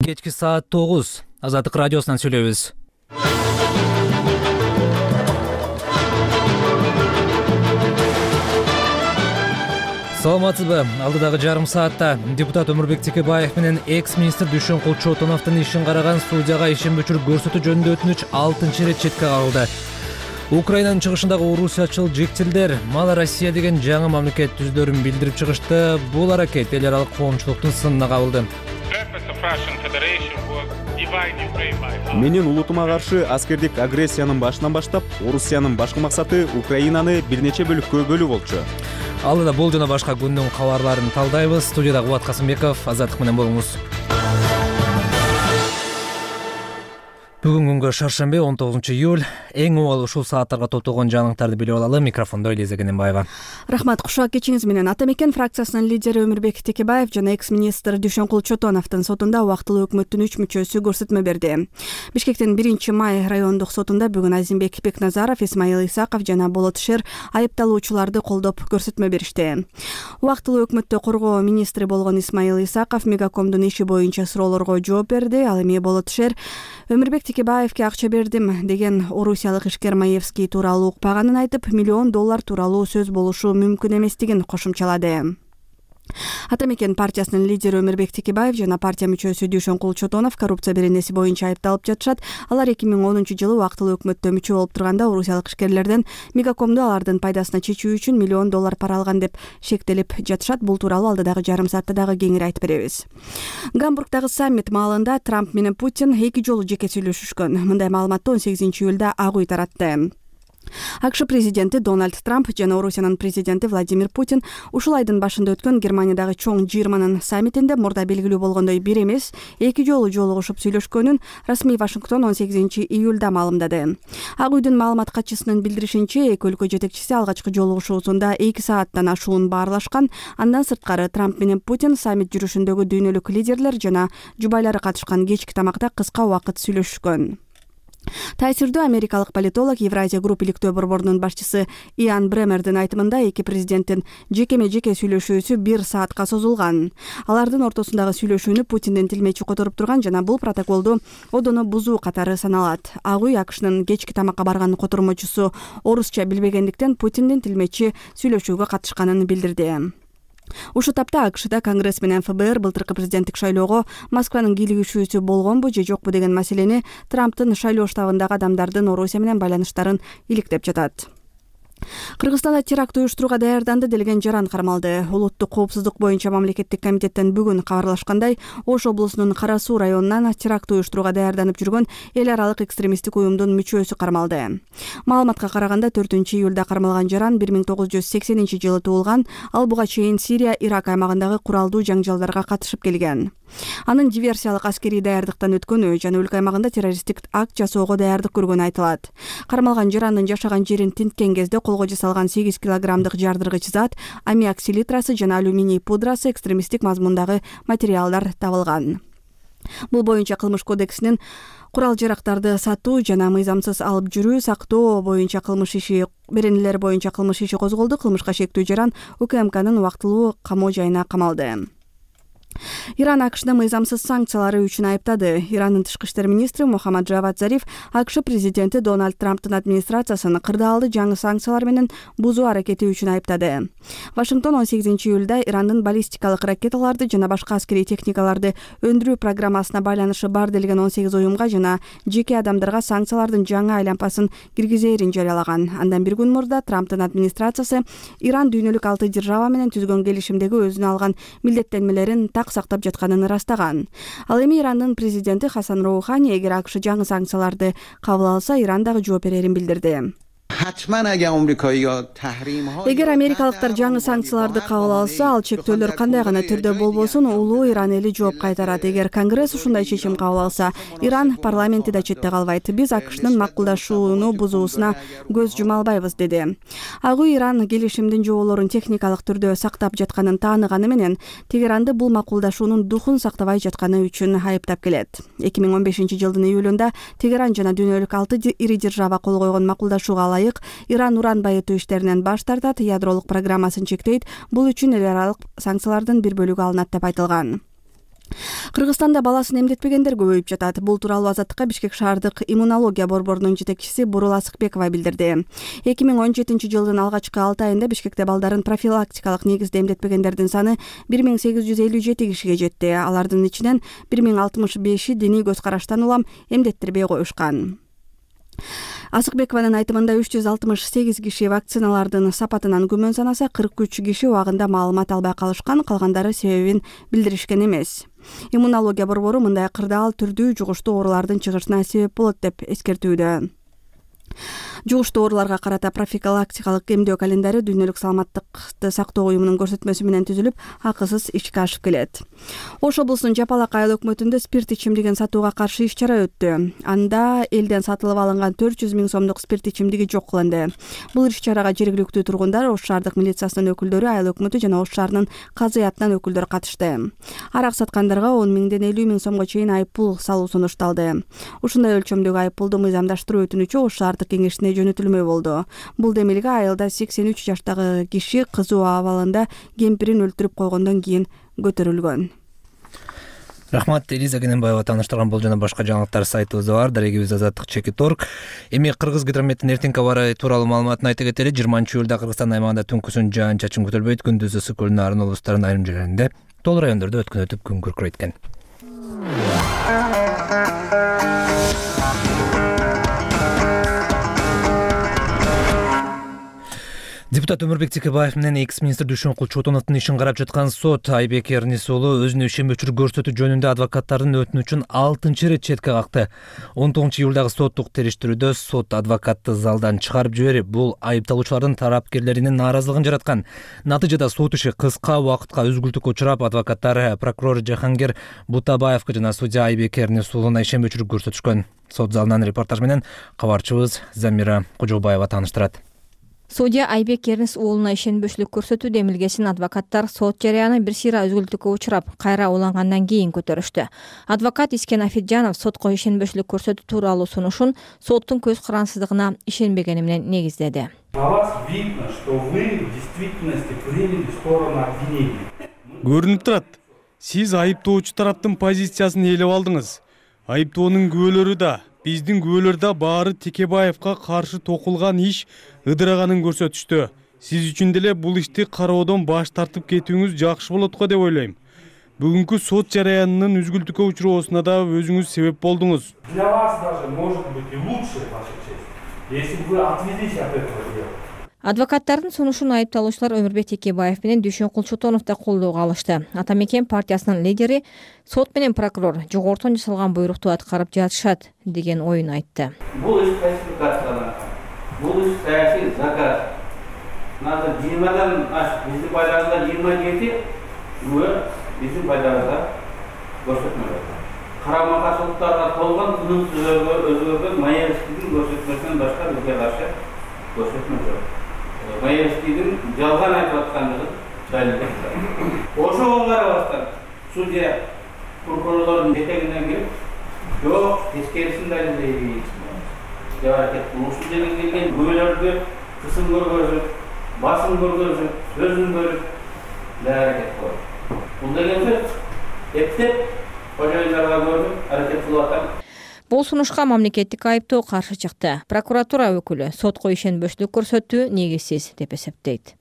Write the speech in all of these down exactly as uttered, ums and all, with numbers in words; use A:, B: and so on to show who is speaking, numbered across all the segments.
A: Кечки саат тогуз. Азаттык радиосунан сүйлөйбүз. Саламатсызбы? Алдыдагы жарым саатта депутат Өмүрбек Текебаев менен экс-министр Дүйшөнкул Чотоновдун ишин караган судьяга ишин өчүрүп көрсөтүү жөнүндө өтүнүч алтынчы ирет четке кагылды. Украинанын чыгышындагы орусиячыл жектилдер мала Россия деген жаңы мамлекет түзүлөрүн билдирип чыгышты. Бул аракет эл аралык коомчулуктун сынына кабылды.
B: Менин улутума каршы аскердик агрессиянын башынан баштап, Орусиянын башкы максаты Украинаны бир нече бөлүккө бөлүү болчу.
A: Алдыда бул жана башка күндүн кабарларын талдайбыз. Студияда Кубат Касымбеков, Азаттык менен болуңуз. Бүгүн күнгө шаршемби он тогузунчу июль. Эң убал ушул сааттарга топтолгон жаңылыктарды билип алалы. Микрофондо Элиза Кененбаева.
C: Рахмат. Кушак кечиңиз менен. Атамекен фракциясынын лидери Өмүрбек Текебаев жана экс-министр Дүйшөнкул Чотоновдун сотунда убактылуу өкмөттүн үч мүчөсү көрсөтмө берди. Бишкектин биринчи май райондук сотунда бүгүн Азимбек Бекназаров, Исмаил Исаков жана Болот Шер айыпталуучуларды колдоп көрсөтмө беришти. Убактылуу өкмөттө коргоо министри болгон Исмаил Исаков Мегакомдун иши боюнча суроолорго жооп берди. Ал эми Болот Шер Өмүрбек Текебаевке акча бердим деген орусиялык ишкер Маевский тууралуу укпаганын айтып, миллион доллар тууралуу сөз болушу мүмкүн эместигин кошумчалады. Атамекен партиясынын лидери Өмүрбек Текебаев жана партия мүчөсү Дүйшөнкул Чотонов коррупция беренеси боюнча айыпталып жатышат. Алар эки миң онунчу жылы убактылуу өкмөттө мүчө болуп турганда орусиялык ишкерлерден Мегакомду алардын пайдасына чечүү үчүн миллион доллар пара алган деп шектелип жатышат. Бул тууралуу алдыдагы жарым саатта дагы кеңири айтып беребиз. Гамбургдагы саммит маалында Трамп менен Путин эки жолу жеке сүйлөшүшкөн. Мындай маалыматты он сегизинчи июлда Ак үй таратты. АКШ президенти Дональд Трамп жана Орусиянын президенти Владимир Путин ушул айдын башында өткөн Германиядагы чоң жыйырманын саммитинде мурда белгилүү болгондой бир эмес, эки жолу жолугушуп сүйлөшкөнүн расмий Вашингтон он сегизинчи июлда маалымдады. Ак үйдүн маалымат катчысынын билдиришинче, эки өлкө жетекчиси алгачкы жолугушуусунда эки сааттан ашуун баарлашкан. Андан сырткары Трамп менен Путин саммит жүрүшүндөгү дүйнөлүк лидерлер жана жубайлары катышкан кечки тамакта кыска убакыт сүйлөшүшкөн. Таасирдүү америкалык политолог Евразия групп иликтөө борборунун башчысы Иан Бремердин айтымында эки президенттин жекеме-жеке сүйлөшүүсү бир саатка созулган. Алардын ортосундагы сүйлөшүүнү Путиндин тилмечи которуп турган жана бул протоколду одоно бузуу катары саналат. Ак үй АКШнын кечки тамакка барган котормочусу орусча билбегендиктен Путиндин тилмечи сүйлөшүүгө катышканын билдирди. Ушул тапта АКШда Конгресс менен ФБР былтыркы президенттик шайлоого Москванын кийлигишүүсү болгонбу же жокпу деген маселени Трамптын шайлоо штабындагы адамдардын Орусия менен байланыштарын иликтеп жатат. Кыргызстанда теракт уюштурууга даярданды делген жаран кармалды. Улуттук коопсуздук боюнча мамлекеттик комитеттен бүгүн кабарлашкандай, Ош облусунун Кара Суу районунан теракт уюштурууга даярданып жүргөн эл аралык экстремисттик уюмдун мүчөсү кармалды. Маалыматка караганда төртүнчү июлда кармалган жаран бир миң тогуз жүз сексенинчи жылы туулган. Ал буга чейин Сирия, Ирак аймагындагы куралдуу жаңжалдарга катышып келген. Анын диверсиялык аскерий даярдыктан өткөнү жана өлкө аймагында террористтик акт жасоого даярдык көргөнү айтылат. Кармалган жарандын жашаган жерин тинткен кезде колго жасалган сегиз килограммдык жардыргыч зат, аммиак селитрасы жана алюминий пудрасы экстремисттик мазмундагы материалдар табылган. Бул боюнча кылмыш кодексинин курал-жарактарды сатуу жана мыйзамсыз алып жүрүү, сактоо боюнча кылмыш иши беренелер боюнча кылмыш иши козголду. Кылмышка шектүү жаран УКМКнын убактылуу камоо жайына камалды. Иран АКШны мыйзамсыз санкциялары үчүн айыптады. Ирандын тышкы иштер министри Мухаммад Джавад Зариф АКШ президенти Дональд Трамптын администрациясын кырдаалды жаңы санкциялар менен бузуу аракети үчүн айыптады. Вашингтон он сегизинчи июлда Ирандын баллистикалык ракеталарды жана башка аскерий техникаларды өндүрүү программасына байланышы бар делген он сегиз уюмга жана жеке адамдарга санкциялардын жаңы айлампасын киргизээрин жарыялаган. Андан бир күн мурда Трамптын администрациясы Иран дүйнөлүк алты держава менен түзгөн келишимдеги өзүнө алган милдеттенмелерин сактап жатканын ырастаган. Ал эми Ирандын президенти Хасан Роухани эгер АКШ жаңы санкцияларды кабыл алса, Иран дагы жооп берерин билдирди. Эгер америкалыктар жаңы санкцияларды кабыл алса, ал чектөөлөр кандай гана түрдө болбосун улуу Иран эли жооп кайтарат. Эгер Конгресс ушундай чечим кабыл алса, Иран парламенти да четте калбайт. Биз АКШнын макулдашууну бузуусуна көз жума албайбыз, деди. Ак үй Иран келишимдин жоболорун техникалык түрдө сактап жатканын тааныганы менен Тегеранды бул макулдашуунун духун сактабай жатканы үчүн айыптап келет. эки миң он бешинчи жылдын июлунда Тегеран жана дүйнөлүк алты ири держава кол койгон макулдашууга ылайык Иран уран байытуу иштеринен баш тартат, ядролук программасын чектейт. Бул үчүн эл аралык санкциялардын бир бөлүгү алынат деп айтылган. Кыргызстанда баласын эмдетпегендер көбөйүп жатат. Бул тууралуу Азаттыкка Бишкек шаардык иммунология борборунун жетекчиси Бурул Асыкбекова билдирди. эки миң он жетинчи жылдын алгачкы алты айында Бишкекте балдарын профилактикалык негизде эмдетпегендердин саны бир миң сегиз жүз элүү жети кишиге жетти. Алардын ичинен бир миң алтымыш беши диний көз караштан улам эмдеттирбей коюшкан. Асыкбекованын айтымында үч жүз алтымыш сегиз киши вакциналардын сапатынан күмөн санаса, кырк үч киши убагында маалымат албай калышкан, калгандары себебин билдиришкен эмес. Иммунология борбору мындай кырдаал түрдүү жугуштуу оорулардын чыгышына себеп болот деп эскертүүдө. Жугуштуу ооруларга карата профилактикалык эмдөө календари Дүйнөлүк саламаттыкты сактоо уюмунун көрсөтмөсү менен түзүлүп, акысыз ишке ашып келет. Ош облусунун Жапалак айыл өкмөтүндө спирт ичимдигин сатууга каршы иш чара өттү. Анда элден сатылып алынган төрт жүз миң сомдук спирт ичимдиги жок кылынды. Бул иш чарага жергиликтүү тургундар, Ош шаардык милициясынын өкүлдөрү, айыл өкмөтү жана Ош шаарынын казыятынан өкүлдөр катышты. Арак саткандарга он миңден элүү миң сомго чейин айыппул салуу сунушталды. Ушундай өлчөмдөгү айыппулду мыйзамдаштыруу өтүнүчү Ош шаардык кеңешине жөнөтүлмөй болду. Бул демилге айылда сексен үч жаштагы киши кызуу абалында кемпирин өлтүрүп койгондон кийин көтөрүлгөн.
A: Рахмат, Элиза Кененбаева тааныштырган. Бул жана башка жаңылыктар сайтыбызда бар. Дарегибиз азаттык чекит точка орг. Эми Кыргыз гидрометтин эртеңки аба ырайы тууралуу маалыматын айта кетели. жыйырманчы июлда Кыргызстан аймагында түнкүсүн жаан-чачын күтүлбөйт. Күндүзү ысык көлүнүн арын облустарынын айрым жерлеринде, тоол райондордо өткөн өтүп күн күркүрөйт экен. Депутат Өмүрбек Текебаев менен экс-министр Дүйшөнкул Чотоновдун ишин карап жаткан сот Айбек Эрнис уулу өзүнө ишенбөөчүлүк көрсөтүү жөнүндө адвокаттардын өтүнүчүн алтынчы ирет четке какты. он тогузунчу июлдагы соттук териштирүүдө сот адвокатты залдан чыгарып жиберип, бул айыпталуучулардын тарапкерлеринин нааразылыгын жараткан. Натыйжада сот иши кыска убакытка үзгүлтүккө учурап, адвокаттар прокурор Жахангер Бутабаевга жана судья Айбек Эрнис уулуна ишенбөөчүлүк көрсөтүшкөн. Сот залынан репортаж менен кабарчыбыз Замира Кожобаева тааныштырат.
D: Судья Айбек Эрнис уулуна ишенбөөчүлүк көрсөтүү демилгесин адвокаттар сот жарыяны бир сыйра үзгүлтүккө учурап, кайра улангандан кийин көтөрүштү. Адвокат Искен Афиджанов сотко ишенбөөчүлүк көрсөтүү тууралуу сунушун соттун көз карансыздыгына ишенбегени менен негиздеди.
E: Көрүнүп турат, сиз айыптоочу тараптын позициясын ээлеп алдыңыз. Айыптоонун күбөлөрү да, биздин күбөлөр да баары Текебаевка каршы токулган иш ыдыраганын көрсөтүштү. Сиз үчүн деле бул ишти кароодон баш тартып кетүүңүз жакшы болот го деп ойлойм. Бүгүнкү сот жарыянынын үзгүлтүккө учуроосуна да өзүңүз себеп болдуңуз.
F: Для вас даже может быть и лучше, ваша честь, если вы отведите от этого дела.
D: Адвокаттардын сунушун айыпталуучулар Өмүрбек Текебаев менен Дүйшөнкул Чотонов да колдоого алышты. Ата Мекен партиясынын лидери сот менен прокурор жогортон жасалган буйрукту аткарып жатышат деген оюн айтты.
G: Бул иш фальсификацияланган. Бул иш саясий заказ. Надо жыйырмадан аш биздин байларыбызда жыйырма жети күбө биздин байларыбызда көрсөтмөлөр. Карама каршылыктарга толгон тынымсыз өзгөргөн Маевскийдин көрсөтмөсүнөн башка бизге каршы көрсөтмө жок. Маевскийдин жалган айтып аткандыгын далилдеп. Ошого карабастан судья прокурорлордун жетегинден келип, жок, тескерисин далилдейбиз деп аракет кылып, ушул жерге келген күбөлөрдү кысым көргөзүп, басым көргөзүп, сөзүн бөлүп деп аракет кылып. Бул деген сөз эптеп кожоюндарга көрүп аракет кылып атам.
D: Бул сунушка мамлекеттик айыптоо каршы чыкты. Прокуратура өкүлү сотко ишенбөөчүлүк көрсөтүү негизсиз деп эсептейт.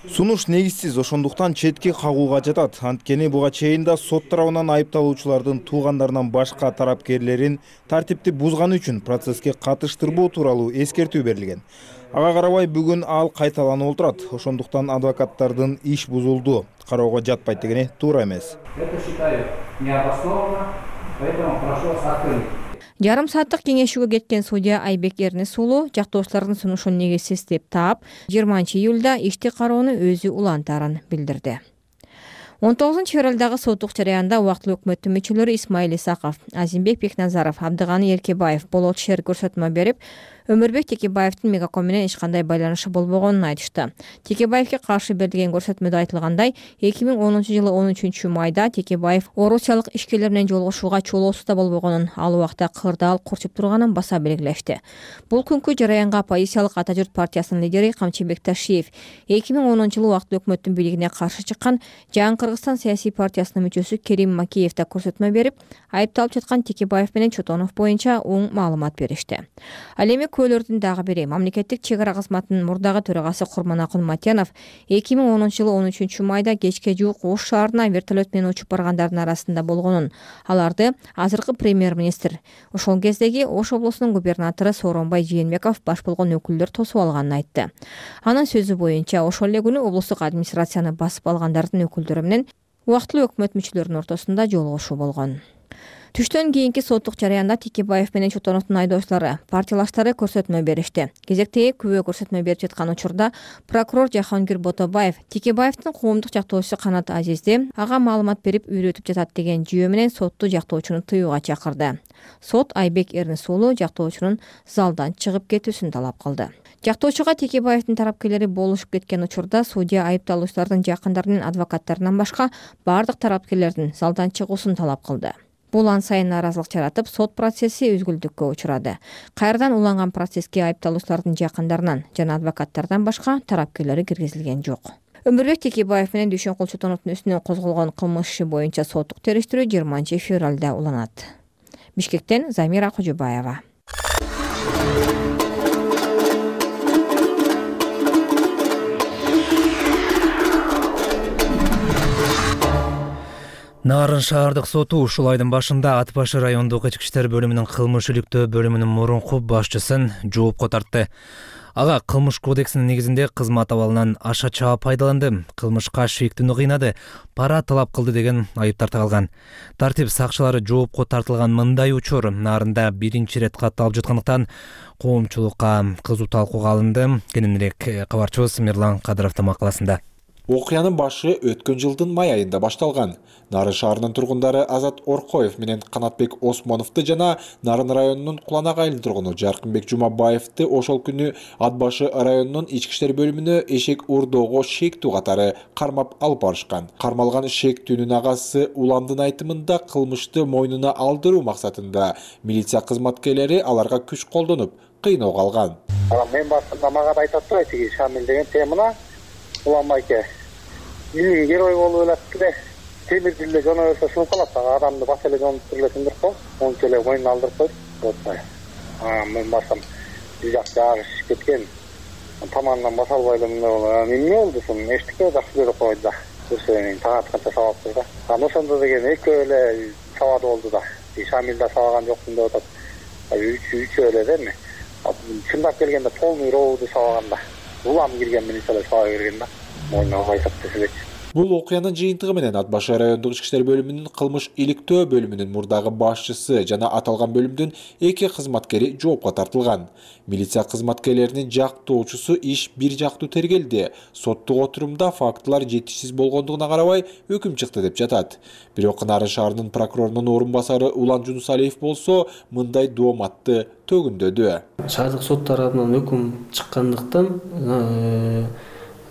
H: Сунуш негизсиз, ошондуктан четке кагууга жатат. Анткени буга чейин да сот тарабынан айыпталуучулардын туугандарынан башка тарапкерлерин тартипти бузганы үчүн процесске катыштырбоо тууралуу эскертүү берилген. Ага карабай бүгүн ал кайталанып отурат. Ошондуктан адвокаттардын иш бузулду, кароого жатпайт дегени туура эмес.
F: Это считаю необоснованно, поэтому прошу вас открыть.
D: Жарым сааттык кеңешүүгө кеткен судья Айбек Эрнис уулу жактоочулардын сунушун негизсиз деп таап, жыйырманчы июлда ишти кароону өзү улантаарын билдирди. он тогузунчу февралдагы соттук жарыянда убактылуу өкмөттүн мүчөлөрү Исмаил Исаков, Азимбек Бекназаров, Абдыганы Эркебаев болот шер көрсөтмө берип, Өмүрбек Текебаевдин Мегаком менен эч кандай байланышы болбогонун айтышты. Текебаевге каршы берилген көрсөтмөдө айтылгандай, эки миң онунчу жылы он үчүнчү майда Текебаев орусиялык ишкерлер менен жолугушууга чолоосузда болбогонун, ал убакта кырдаал курчуп турганын баса белгилешти. Бул күнкү жараянга оппозициялык Ата журт партиясынын лидери Камчыбек Ташиев эки миң онунчу жылы убактылуу өкмөттүн бийлигине каршы чыккан Жаңы Кыргызстан саясий партиясынын мүчөсү Керим Макеев да көрсөтмө берип, айыпталып жаткан Текебаев менен Чотонов боюнча оң маалымат беришти. Ал эми көөлөрдүн дагы бири мамлекеттик чек ара кызматынын мурдагы төрагасы Курманакул Матянов эки миң онунчу жылы он үчүнчү майда кечке жуук Ош шаарына вертолет менен учуп баргандардын арасында болгонун, аларды азыркы премьер-министр, ошол кездеги Ош облусунун губернатору Сооронбай Жээнбеков баш болгон өкүлдөр тосуп алганын айтты. Анын сөзү боюнча, ошол эле күнү облустук администрацияны басып алгандардын өкүлдөрү менен убактылуу өкмөт мүчөлөрүнүн ортосунда жолугушуу болгон. Түштөн кийинки соттук жараянда Текебаев менен Чотоновдун айдоочулары, партиялаштары көрсөтмө беришти. Кезектеги күбө көрсөтмө берип жаткан учурда прокурор Жахангир Ботобаев Текебаевдин коомдук жактоочусу Канат Азизди ага маалымат берип үйрөтүп жатат деген жүйө менен сотту жактоочуну тыюуга чакырды. Сот Айбек Эрнис уулу жактоочунун залдан чыгып кетүүсүн талап кылды. Жактоочуга Текебаевдин тарапкерлери болушуп кеткен учурда судья айыпталуучулардын жакындары менен адвокаттарынан башка бардык тарапкерлердин залдан чыгуусун талап кылды. Бул ан сайын нааразылык жаратып, сот процесси үзгүлтүккө учурады. Кайрадан уланган процесске айыпталуучулардын жакындарынан жана адвокаттардан башка тарапкерлери киргизилген жок. Өмүрбек Текебаев менен Дүйшөнкул Чотоновдун үстүнөн козголгон кылмыш иши боюнча соттук териштирүү жыйырманчы февралда уланат. Бишкектен Замира Кожобаева.
A: Нарын шаардык соту ушул айдын башында Ат башы райондук ички иштер бөлүмүнүн кылмыш иликтөө бөлүмүнүн мурунку башчысын жоопко тартты. Ага кылмыш кодексинин негизинде кызмат абалынан аша чаап пайдаланды, кылмышка шектүүнү кыйнады, пара талап кылды деген айып тартылган. Тартип сакчылары жоопко тартылган мындай учур Нарында биринчи ирет катталып жаткандыктан коомчулукка кызуу талкууга алынды. Кененирээк кабарчыбыз Мирлан Кадыровдун макаласында.
I: Окуянын башы өткөн жылдын май айында башталган. Нарын шаарынын тургундары Азат Оркоев менен Канатбек Осмоновду жана Нарын районунун Куланак айылынын тургуну Жаркынбек Жумабаевди ошол күнү Ат башы районунун ички иштер бөлүмүнө эшек урдоого шектүү катары кармап алып барышкан. Кармалган шектүүнүн агасы Уландын айтымында кылмышты мойнуна алдыруу максатында милиция кызматкерлери аларга күч колдонуп, кыйноого алган.
J: Мен башында мага да айтат да, тиги Шамил деген темына Уланбайке. Милиң герой болуп элек эле. Темирди эле жона берсе сулуп калат, адамды бас эле жонуп туруп эле, ончо эле мойнуна алдырып коюп, болбой. А мен басам бир жак жагыш кеткен. Тамандан баса албай эле мындай эмне болду сон? Эчтеке жакшы көрүп койду да. Көрсөң таң атканча сабап тур да. Аны ошондо деген экөө эле сабады болду да. Шамил да сабаган жокмун деп атат. Үч үч эле да эми. Чындап келгенде полный роуду сабаган да. Улам кирген милиция сабап берген да. Мойнуна кайтып тесебечи.
I: Бул окуянын жыйынтыгы менен Ат башы райондук ички иштер бөлүмүнүн кылмыш иликтөө бөлүмүнүн мурдагы башчысы жана аталган бөлүмдүн эки кызматкери жоопко тартылган. Милиция кызматкерлеринин жактоочусу иш бир жактуу тергелди. Соттук отурумда фактылар жетишсиз болгондугуна карабай өкүм чыкты деп жатат. Бирок Нарын шаарынын прокурорунун орун басары Улан Жунусалиев болсо мындай дооматты төгүндөдү.
K: Шаардык сот тарабынан өкүм чыккандыктан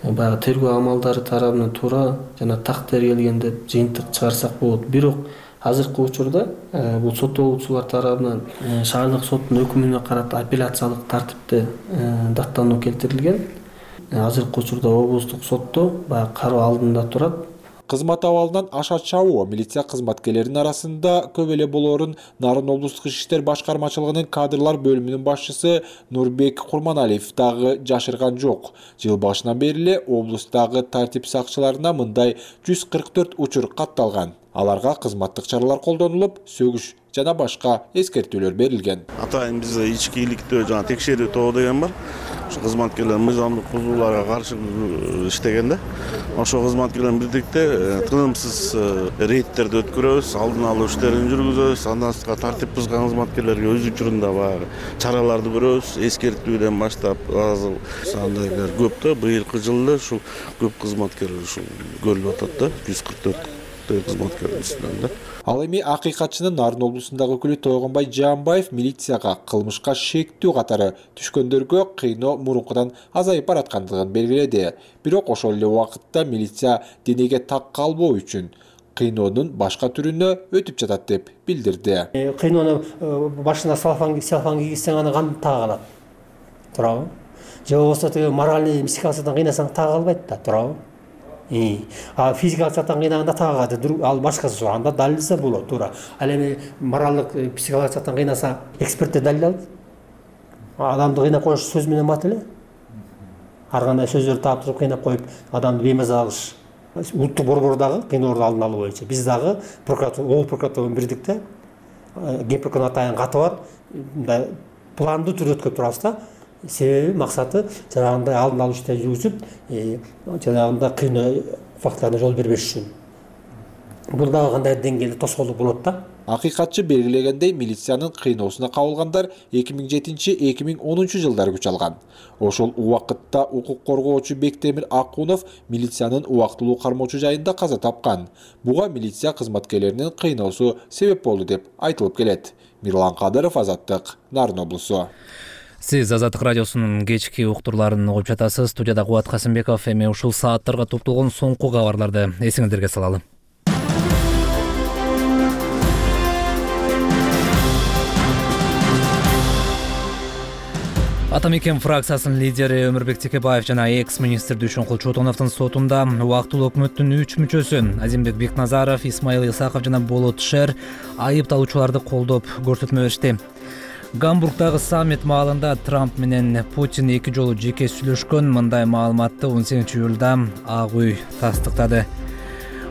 K: баягы тергөө амалдары тарабынан туура жана так тергелген деп жыйынтык чыгарсак болот. Бирок азыркы учурда бул соттолуучулар тарабынан шаардык соттун өкүмүнө карата апелляциялык тартипте даттануу келтирилген. Азыркы учурда облустук сотто баягы кароо алдында турат.
I: Кызмат абалынан аша чабуу милиция кызматкерлеринин арасында көп эле болоорун Нарын облустук ички иштер башкармачылыгынын кадрлар бөлүмүнүн башчысы Нурбек Курманалиев дагы жашырган жок. Жыл башынан бери эле облустагы тартип сакчыларына мындай жүз кырк төрт учур катталган. Аларга кызматтык чаралар колдонулуп, сөгүш жана башка эскертүүлөр берилген.
L: Атайын бизде ички иликтөө жана текшерүү тобу деген бар. Ошо кызматкерлер мыйзамдык бузууларга каршы иштегенде, ошо кызматкерлер бирдикте тынымсыз рейдтерди өткөрөбүз, алдын алуу иштерин жүргүзөбүз, андан сырткары тартип бузган кызматкерлерге өз учурунда баягы чараларды көрөбүз, эскертүүдөн баштап азыр сандайлар көп да, быйылкы жылда ушу көп кызматкерлер ушу көрүлүп атат да, жүз кырк төрт тыгыз кызматкердин үстүнөн да.
I: Ал эми акыйкатчынын Нарын облусундагы өкүлү Тойгонбай Жаанбаев милицияга кылмышка шектүү катары түшкөндөргө кыйноо мурункудан азайып бараткандыгын белгиледи. Бирок ошол эле убакытта милиция денеге так калбоо үчүн кыйноонун башка түрүнө өтүп жатат деп билдирди.
M: Кыйноону башына салфан салфан кийгизсең аны кантип тага алат? Туурабы? Же болбосо тиги моральный психикалык жактан кыйнасаң тага албайт да, туурабы? А физикалык жактан кыйнаганда тага ал башкасы жок, анда далилдесе болот, туура. Ал эми моралдык психикалык жактан кыйнаса экспертте далил алат. Адамды кыйнап коюш сөз менен бат эле. Ар кандай сөздөрдү таптырып кыйнап коюп, адамды беймаза кылыш. Улуттук борбордагы кыйноолорду алдын алуу боюнча биз дагы прокуратура, обул прокуратура менен бирдикте Генпрокурордун атайын каты бар. Мындай пландуу түрдө өткөрүп турабыз да. Себеби максаты жанагындай алдын алуу иштерин жүргүзүп, жанагындай кыйноо фактыларына жол бербеш үчүн. Бул дагы кандай деңгээлде тоскоолдук болот да.
I: Акыйкатчы белгилегендей, милициянын кыйноосуна кабылгандар эки миң жетинчи — эки миң онунчу жылдары күч алган. Ошол убакытта укук коргоочу Бектемир Акунов милициянын убактылуу кармоочу жайында каза тапкан. Буга милиция кызматкерлеринин кыйноосу себеп болду деп айтылып келет. Мирлан Кадыров, Азаттык, Нарын облусу.
A: Сиз Азаттык радиосунун кечки уктурларын угуп жатасыз. Студияда Кубат Касымбеков. Эми ушул сааттарга топтолгон соңку кабарларды эсиңиздерге салалы. Ата мекен фракциясынын лидери Өмүрбек Текебаев жана экс-министр Дүйшөнкул Чотоновдун сотунда убактылуу өкмөттүн үч мүчөсү Азимбек Бекназаров, Исмаил Исаков жана Болот Шер айыпталуучуларды колдоп көрсөтмө беришти. Гамбургдагы саммит маалында Трамп менен Путин эки жолу жеке сүйлөшкөн. Мындай маалыматты он сегизинчи июлда Ак үй тастыктады.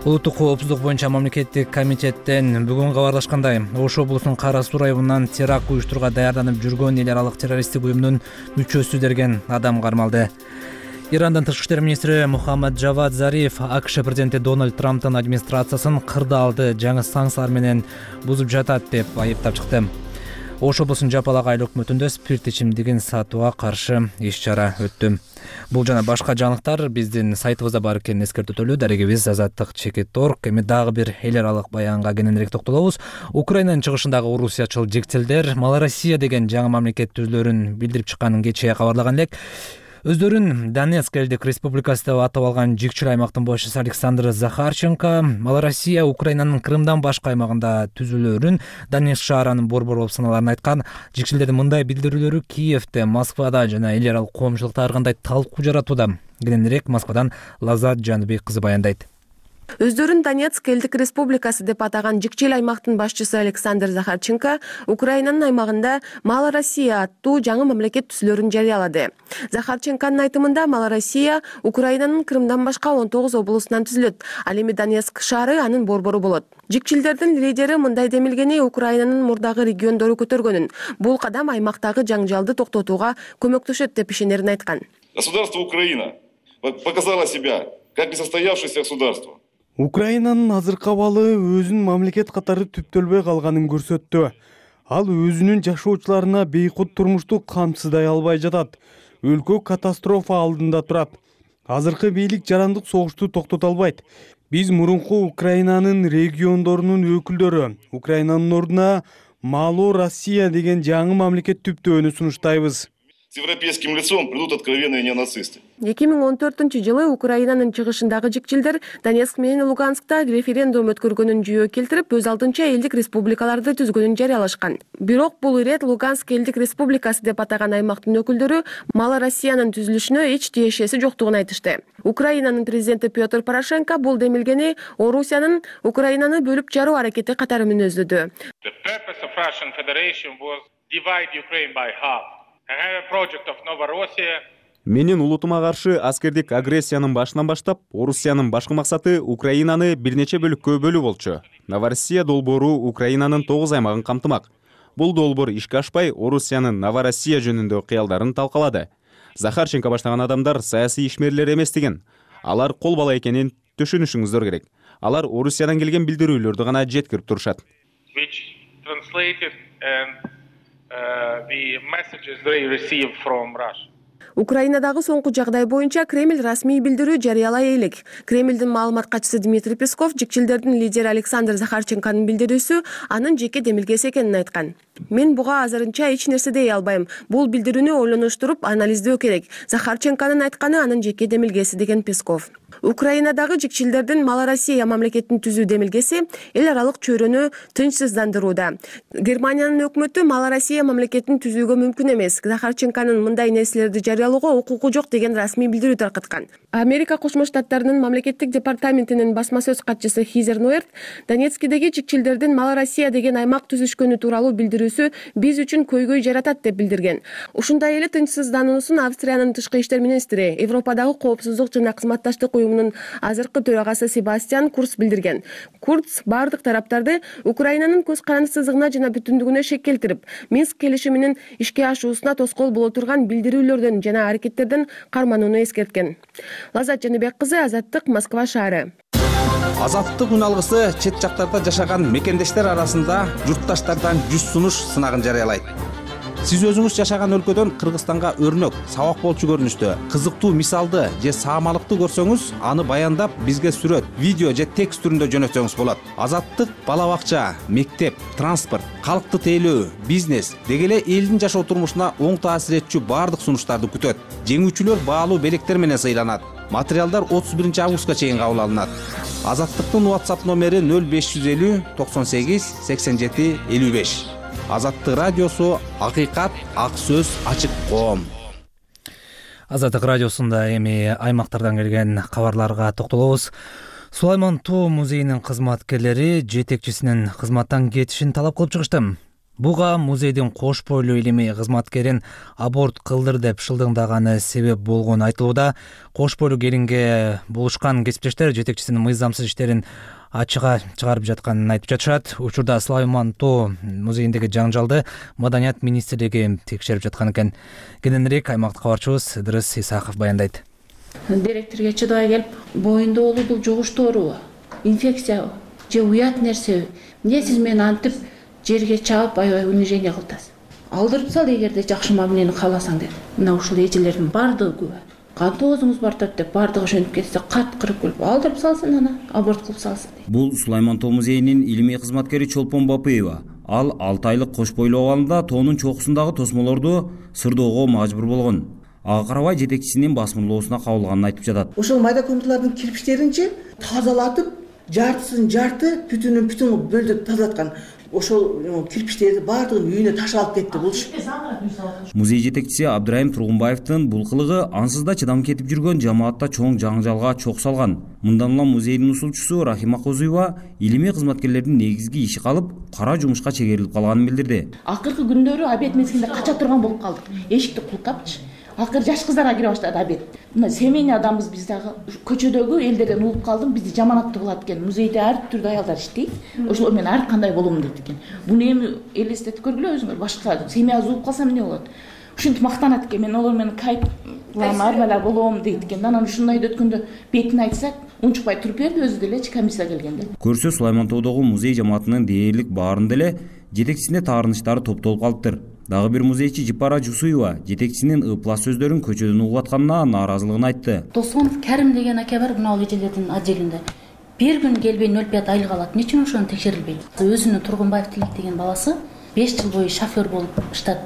A: Улуттук коопсуздук боюнча мамлекеттик комитеттен бүгүн кабарлашкандай, Ош облусунун Кара Суу районунан теракт уюштурууга даярданып жүргөн эл аралык террористтик уюмдун мүчөсү деген адам кармалды. Ирандын тышкы иштер министри Мухаммад Джавад Зариф АКШ президенти Дональд Трамптын администрациясын кырдаалды жаңы санкциялар менен бузуп жатат деп айыптап чыкты. Ош облусунун Жапалак айыл өкмөтүндө спирт ичимдигин сатууга каршы иш-чара өттү. Бул жана башка жаңылыктар биздин сайтыбызда бар экенин эскертип өтөлү. Дарегибиз Азаттык чекит точка орг. Эми дагы бир эл аралык баянга кененирээк токтолобуз. Украинанын чыгышындагы орусиячыл жектилдер Малороссия деген жаңы мамлекет түзүлөрүн билдирип чыкканын кечээ кабарлаган элек. Өздөрүн Донецк элдик республикасы деп атап алган жикчил аймактын башчысы Александр Захарченко Малороссия Украинанын Крымдан башка аймагында түзүлөрүн Донецк шаарынын борбору болуп саналарын айткан. Жикчилдердин мындай билдирүүлөрү Киевде, Москвада жана эл аралык коомчулукта ар кандай талкуу жаратууда. Кененирээк Москвадан Лазат Жаныбек кызы баяндайт.
N: Өздөрүн Донецк элдик республикасы деп атаган жикчил аймактын башчысы Александр Захарченко Украинанын аймагында Малороссия аттуу жаңы мамлекет түзүлөрүн жарыялады. Захарченконун айтымында Малороссия Украинанын Крымдан башка он тогуз облусунан түзүлөт. Ал эми Донецк шаары анын борбору болот. Жикчилдердин лидери мындай демилгени Украинанын мурдагы региондору көтөргөнүн. Бул кадам аймактагы жаңжалды токтотууга көмөктөшөт деп ишенерин айткан.
O: Государство Украина показало себя как несостоявшееся государство.
E: Украинанын азыркы абалы өзүнүн мамлекет катары түптөлбөй калганын көрсөттү. Ал өзүнүн жашоочуларына бейкут турмушту камсыздай албай жатат. Өлкө катастрофа алдында турат. Азыркы бийлик жарандык согушту токтото албайт. Биз мурунку Украинанын региондорунун өкүлдөрү Украинанын ордуна Малороссия деген жаңы мамлекет түптөөнү сунуштайбыз.
O: С европейским лицом придут откровенные неонацисты.
N: эки миң он төртүнчү жылы Украинанын чыгышындагы жикчилдер Донецк менен Луганскта референдум өткөргөнүн жүйө келтирип, өз алдынча элдик республикаларды түзгөнүн жарыялашкан. Бирок бул ирет Луганск элдик республикасы деп атаган аймактын өкүлдөрү Малороссиянын түзүлүшүнө эч тиешеси жоктугун айтышты. Украинанын президенти Петр Порошенко бул демилгени Орусиянын Украинаны бөлүп жаруу аракети катары мүнөздөдү.
B: Менин улутума каршы аскердик агрессиянын башынан баштап, Орусиянын башкы максаты Украинаны бир нече бөлүккө бөлүү болчу. Новороссия долбоору Украинанын тогуз аймагын камтымак. Бул долбоор ишке ашпай, Орусиянын Новороссия жөнүндө кыялдарын талкалады. Захарченко баштаган адамдар саясий ишмерлер эмес деген. Алар кол бала экенин түшүнүшүңүздөр керек. Алар Орусиядан келген билдирүүлөрдү гана жеткирип турушат.
N: Украинадагы соңку жагдай боюнча Кремль расмий билдирүү жарыялай элек. Кремлдин маалымат катчысы Дмитрий Песков жикчилдердин лидери Александр Захарченконун билдирүүсү анын жеке демилгеси экенин айткан. Мен буга азырынча эч нерсе дей албайм. Бул билдирүүнү ойлонуштуруп, анализдөө керек. Захарченконун айтканы анын жеке демилгеси деген Песков. Украинадагы жикчилдердин Малороссия мамлекетин түзүү демилгеси эл аралык чөйрөнү тынчсыздандырууда. Германиянын өкмөтү Малороссия мамлекетин түзүүгө мүмкүн эмес. Захарченконун мындай нерселерди жарыялоого укугу жок деген расмий билдирүү таркаткан. Америка Кошмо Штаттарынын мамлекеттик департаментинин басма сөз катчысы Хизер Нуэрт Донецкидеги жикчилдердин Малороссия деген аймак түзүшкөнү тууралуу билдирүүсү биз үчүн көйгөй жаратат деп билдирген. Ушундай эле тынчсыздануусун Австриянын тышкы иштер министри, Европадагы коопсуздук жана кызматташтык уюмунун азыркы төрагасы Себастьян Курц билдирген. Курц бардык тараптарды Украинанын көз карандысыздыгына жана бүтүндүгүнө шек келтирип, Минск келишиминин ишке ашуусуна тоскоол боло турган билдирүүлөрдөн жана аракеттерден карманууну эскерткен. Лазат Жаныбек кызы, Азаттык, Москва шаары.
P: Азаттык үн алгысы чет жактарда жашаган мекендештер арасында журтташтардан жүз сунуш сынагын жарыялайт. Сиз өзүңүз жашаган өлкөдөн Кыргызстанга өрнөк, сабак болчу көрүнүштө кызыктуу мисалды же саамалыкты көрсөңүз, аны баяндап бизге сүрөт, видео же текст түрүндө жөнөтсөңүз болот. Азаттык бала бакча, мектеп, транспорт, калкты тейлөө, бизнес деги эле элдин жашоо турмушуна оң таасир этчү бардык сунуштарды күтөт. Жеңүүчүлөр баалуу белектер менен сыйланат. Материалдар отуз биринчи августка чейин кабыл алынат. Азаттыктын WhatsApp номери нөл беш жүз элүү токсон сегиз сексен жети элүү беш. Азаттык радиосу, акыйкат, ак сөз, ачык коом.
A: Азаттык радиосунда эми аймактардан келген кабарларга токтолобуз. Сулайман Тоо музейинин кызматкерлери жетекчисинин кызматтан кетишин талап кылып чыгышты. Буга музейдин кош бойлуу илимий кызматкерин аборт кылдыр деп шылдыңдаганы себеп болгон айтылууда. Кош бойлуу келинге булушкан кесиптештер жетекчисинин мыйзамсыз иштерин ачыга чыгарып жатканын айтып жатышат. Учурда Сулайман Тоо музейиндеги жаңжалды Маданият министрлиги текшерип жаткан экен. Кененирээк аймактык кабарчыбыз Ыдырыс Исаков баяндайт.
Q: Директорго чыдабай келип, боюнда болуу бул жугушторубу, инфекциябы же уят нерсеби? Эмне сиз мени антип жерге чаап аябай унижение кылтасыз? Алдырып сал эгерде жакшы мамилени кааласаң деп. Мына ушул эжелердин бардыгы күбө. Кантип өзүңүз бар тартып деп бардыгы ишенип кетсе, кат кырып келип алдырып салсын, ана аборт кылып салсын.
R: Бул Сулайман Тоо музейинин илимий кызматкери Чолпон Бапыева. Ал алты айлык кош бойлуу абалында тоонун чокусундагы тосмолорду сырдоого мажбур болгон. Ага карабай жетекчисинин басмырлоосуна кабылганын айтып жатат.
S: Ошол майда комнаталардын кирпичтеринчи тазалатып, жартысын жарты, бүтүнүн бүтүн бөлдөп тазалаткан. Ошол кирпичтерди бардыгын үйүнө таш алып кетти булуш.
R: Музей жетекчиси Абдырайым Тургунбаевдин бул кылыгы ансыз да чыдам кетип жүргөн жамаатта чоң жаңжалга чок салган. Мындан улам музейдин усулчусу Рахима Козуева илимий кызматкерлердин негизги иши калып, кара жумушка чегерилип калганын билдирди.
Q: Акыркы күндөрү обед мезгилинде кача турган болуп калдык. Эшикти култапчы. Акыры жаш кыздарга кире баштады обед. Мына семейный адамбыз биз дагы көчөдөгү элдерден угуп калдым, бизди жаманаттуу кылат экен. Музейде ар түрдүү аялдар иштейт. Ошолор менен ар кандай болом дейт экен. Буну эми элестетип көргүлө өзүңөр, башка семья угуп калсам эмне болот? Ушинтип мактанат экен, мен олор менен кайп кылам, арбалар болом дейт экен. Анан ушундайды өткөндө бетин айтсак, унчукпай туруп берди өзү делечи комиссия келгенде.
R: Көрсө Сулайман Тоодогу музей жамаатынын дээрлик баарында эле жетекчисине таарынычтары топтолуп калыптыр. Дагы бир музейчи Жипара Жусуева жетекчисинин ыплас сөздөрүн көчөдөн угуп атканына нааразылыгын айтты.
T: Досонов Кәрим деген аке бар, мына эжелердин отделинде. Бир күн келбей нөл беш айлык алат. Эмне үчүн ошону текшерилбейт? Өзүнүн Тургунбаев Тилек деген баласы беш жыл бою шофер болуп иштеп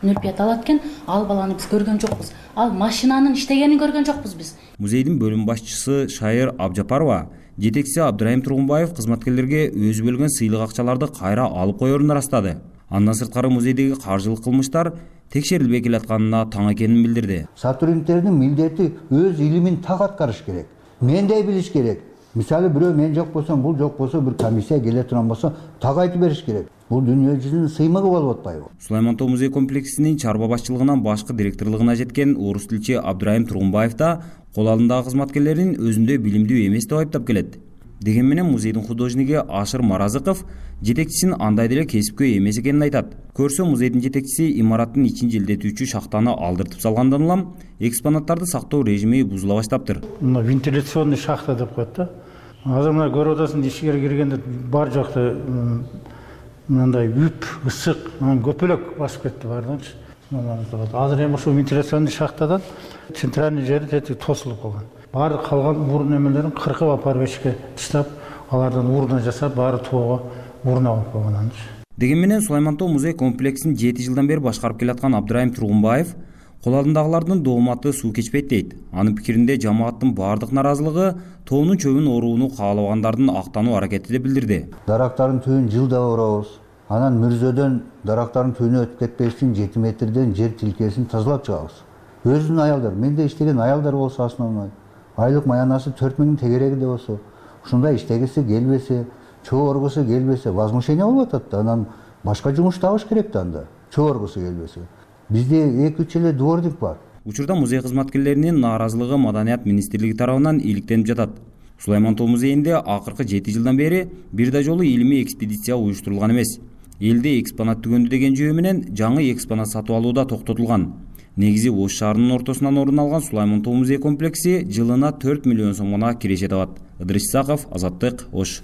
T: нөл беш алат экен. Ал баланы биз көргөн жокпуз. Ал машинанын иштегенин көргөн жокпуз биз.
R: Музейдин бөлүм башчысы Шайыр Абжапарова жетекчиси Абдырайым Тургунбаев кызматкерлерге өзү бөлгөн сыйлык акчаларды кайра алып коерун ырастады. Андан сырткары музейдеги каржылык кылмыштар текшерилбей келатканына таң экенин билдирди.
U: Сотрудниктердин милдети өз илимин так аткарыш керек. Мендей билиш керек. Мисалы бирөө мен жок болсом, бул жок болсо, бир комиссия келе турган болсо, так айтып бериш керек. Бул дүйнө жүзүнүн сыймыгы болуп атпайбы?
R: Сулайман Тоо музей комплексинин чарба башчылыгынан башкы директорлугуна жеткен орус тилчи Абдырайым Тургунбаев да кол алдындагы кызматкерлерин өзүндө билимдүү эмес деп айыптап келет. Деген менен музейдин художниги Ашыр Маразыков жетекчисин андай деле кесипкөй эмес экенин айтат. Көрсө музейдин жетекчиси имараттын ичин желдетүүчү шахтаны алдыртып салгандан улам экспонаттарды сактоо режими бузула баштаптыр.
V: Мына вентиляционный шахта деп коет да. Азыр мына көрүп атасың, ишиге киргенде бар жакта мындай үп, ысык, анан көпөлөк басып кетти баарданчы. азыр эми ушул вентиляционный шахтадан центральный жери тетиги тосулуп калган. Баары калган урун эмелерин кыркып апарып эшикке таштап, алардан урна жасап, баары тоого урна болуп калган анчы.
R: Деген менен Сулаймантоо музей комплексин жети жылдан бери башкарып келаткан Абдырайым Тургунбаев кол алдындагылардын дооматы суу кечпейт дейт. Анын пикиринде жамааттын баардык наразылыгы тоонун чөбүн орууну каалабагандардын актануу аракети деп билдирди.
U: Дарактардын түбүн жылда оробуз. Анан мүрзөдөн дарактардын түбүнө өтүп кетпеш үчүн жети метрден жер тилкесин тазалап чыгабыз. Өзүнүн аялдар, менде иштеген аялдар болсо основной, айлык маянасы төрт миңдин тегереги де болсо, ушундай иштегиси келбесе, чоо оргусу келбесе, возмущение болуп атат да. Анан башка жумуш табыш керек да анда. Чоо оргусу келбесе. Бизде эки үч эле дворник бар.
R: Учурда музей кызматкерлеринин нааразылыгы Маданият министрлиги тарабынан иликтенип жатат. Сулаймантоо музейинде акыркы жети жылдан бери бир да жолу илимий экспедиция уюштурулган эмес. Элде экспонат түгөндү деген жөө менен жаңы экспонат сатып алуу да токтотулган. Негизи Ош шаарынын ортосунан орун алган Сулаймантоо музей комплекси жылына төрт миллион сом гана киреше табат. Ыдырыс Исаков, Азаттык, Ош.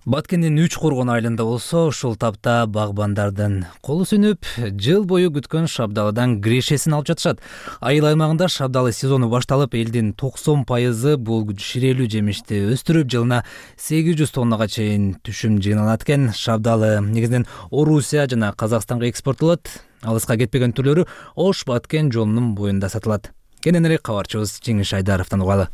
A: Баткендин үч коргон айылында болсо, ушул тапта багбандардын колу сүнүп, жыл бою күткөн шабдалыдан грешесин алып жатышат. Айыл аймагында шабдалы сезону башталып, элдин токсон пайызы бул ширелүү жемишти өстүрүп, жылына сегиз жүз тоннага чейин түшүм жыйналат экен. Шабдалы негизинен Орусия жана Казакстанга экспорттолот. Алыска кетпеген түрлөрү Ош Баткен жолунун боюнда сатылат. Кененирээк кабарчыбыз Жеңиш Айдаровдон угалы.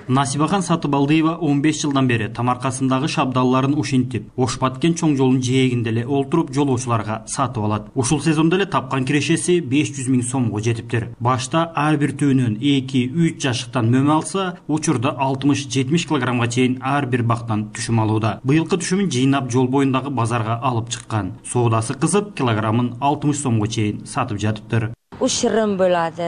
C: Насибахан Сатыбалдыева он беш жылдан бери тамаркасындагы шабдалларын ушинтип, Ош Баткен чоң жолунун жээгинде эле олтуруп жолоочуларга сатып алат. Ушул сезондо эле тапкан кирешеси беш жүз миң сомго жетиптир. Башта ар бир түбүнөн эки үч жашыктан мөмө алса, учурда алтымыш жетимиш килограммга чейин ар бир бактан түшүм алууда. Быйылкы түшүмүн жыйнап жол боюндагы базарга алып чыккан. Соодасы кызып, килограммын алтымыш сомго чейин сатып жатыптыр.
G: Ушырым болот.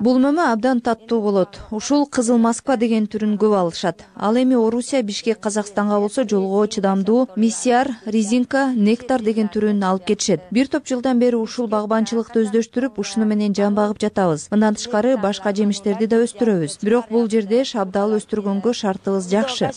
W: Бул мөмө абдан таттуу болот. Ушул Кызыл Москва деген түрүн көп алышат. Ал эми Орусия, Бишкек, Казакстанга болсо жолго чыдамдуу Миссиар, Резинка, Нектар деген түрүн алып кетишет. Бир топ жылдан бери ушул багбанчылыкты өздөштүрүп, ушуну менен жан багып жатабыз. Мындан тышкары башка жемиштерди да өстүрөбүз. Бирок бул жерде шабдал өстүргөнгө шартыбыз жакшы.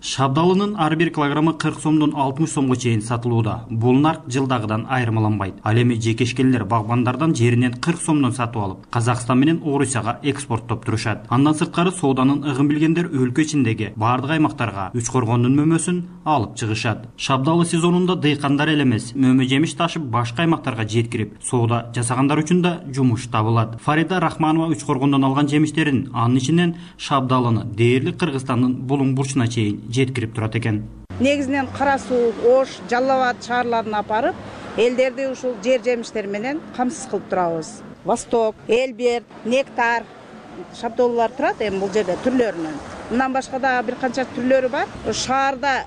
C: Шабдалынын ар бир килограммы кырк сомдон алтымыш сомго чейин сатылууда. Бул нарк жылдагыдан айырмаланбайт. Ал эми жекешкендер багбандардан жеринен кырк сомдон сатып алып, Казакстан менен Орусияга экспорттоп турушат. Андан сырткары сооданын ыгын билгендер өлкө ичиндеги бардык аймактарга үч коргондун мөмөсүн алып чыгышат. Шабдалы сезонунда дыйкандар эле эмес, мөмө жемиш ташып башка аймактарга жеткирип, соода жасагандар үчүн да жумуш табылат. Фарида Рахманова үч коргондон алган жемиштерин, анын ичинен шабдалыны дээрлик Кыргызстандын Булуң бурчуна чейин жеткирип турат экен.
X: Негизинен Кара Суу, Ош, Жалал Абад шаарларына апарып, элдерди ушул жер жемиштер менен камсыз кылып турабыз. Восток, Элберт, Нектар шабдаллар турат эми бул жерде түрлөрүнөн. Мындан башка да бир канча түрлөрү бар. Шаарда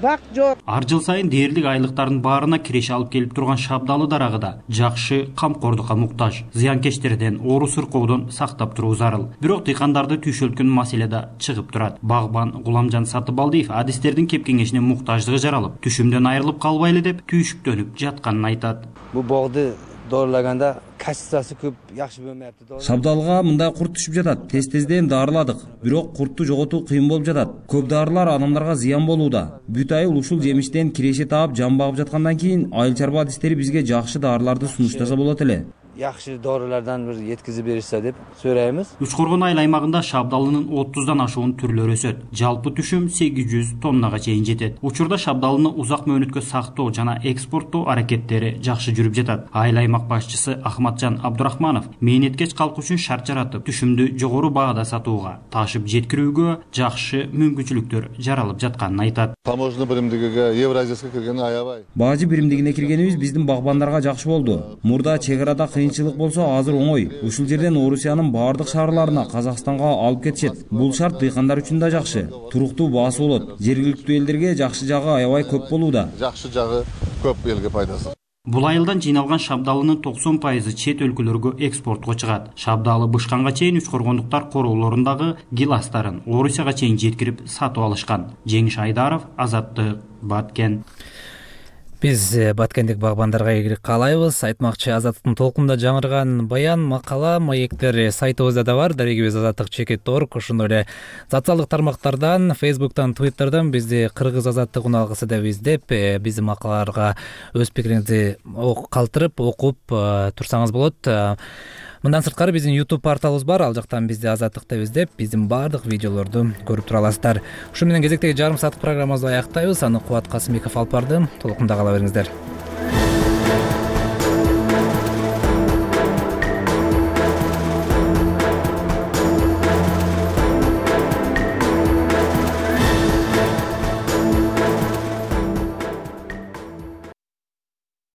X: бак жок.
C: Ар жыл сайын дээрлик айлыктардын баарына киреше алып келип турган шабдалы дарагы да жакшы камкордукка муктаж. Зыянкечтерден, оору сыркоодон сактап туруу зарыл. Бирок дыйкандарды түйшөлткөн маселе да чыгып турат. Багбан Гуламжан Сатыбалдиев адистердин кеп кеңешине муктаждыгы жаралып, түшүмдөн айрылып калбайлы деп түйшүктөнүп жатканын айтат.
Y: Бул богду доорулаганда качествосы көп жакшы болмояптыр.
R: Шабдалга мындай курт түшүп жатат. Тез-тезден дарыладык, бирок куртту жоготуу кыйын болуп жатат. Көп дарылар адамдарга зыян болууда. Бүт айыл ушул жемиштен киреше таап, жан багып жаткандан кийин айыл чарба адистери бизге жакшы дарыларды сунуштаса болот эле.
Y: Жакшы доорулардан бир жеткизип беришсе деп сурайбыз.
C: Үч коргон айыл аймагында шабдалынын отуздан ашуун түрлөрү өсөт. Жалпы түшүм сегиз жүз тоннага чейин жетет. Учурда шабдалыны узак мөөнөткө сактоо жана экспорттоо аракеттери жакшы жүрүп жатат. Айыл аймак башчысы Ахматжан Абдурахманов мээнеткеч калк үчүн шарт жаратып, түшүмдү жогору баада сатууга, ташып жеткирүүгө жакшы мүмкүнчүлүктөр жаралып жатканын айтат.
Z: Таможня биримдигиге, Евразияска киргени аябай.
R: Бажы биримдигине киргенибиз биздин багбандарга жакшы болду. Мурда чек арада кыйынчылык болсо азыр оңой. Ушул жерден Орусиянын бардык шаарларына, Казакстанга алып кетишет. Бул шарт дыйкандар үчүн да жакшы. Туруктуу баасы болот. Жергиликтүү элдерге жакшы жагы аябай көп болууда.
Z: Жакшы жагы көп элге пайдасы.
C: Бул айылдан жыйналган шабдалынын токсон пайызы чет өлкөлөргө экспортко чыгат. Шабдалы бышканга чейин үч коргондуктар короолорундагы гиластарын Орусияга чейин жеткирип сатып алышкан. Жеңиш Айдаров, Азаттык, Баткен.
A: Биз баткендик багбандарга ийгилик каалайбыз. Айтмакчы, Азаттыктын толкунда жаңырган баян, макала, маектер сайтыбызда да бар. Дарегибиз азаттык чекит орг. Ошондой эле социалдык тармактардан, Facebook'тан, Twitter'дан бизди кыргыз азаттык уналгысы деп издеп, биздин макалаларга өз пикириңизди калтырып, окуп турсаңыз болот. Мындан сырткары биздин YouTube порталыбыз бар. Ал жактан бизди Азаттык деп издеп, биздин баардык видеолорду көрүп тура аласыздар. Ушу менен кезектеги жарым сааттык программабызды аяктайбыз. Аны Кубат Касымбеков алып барды. Толкунда кала бериңиздер.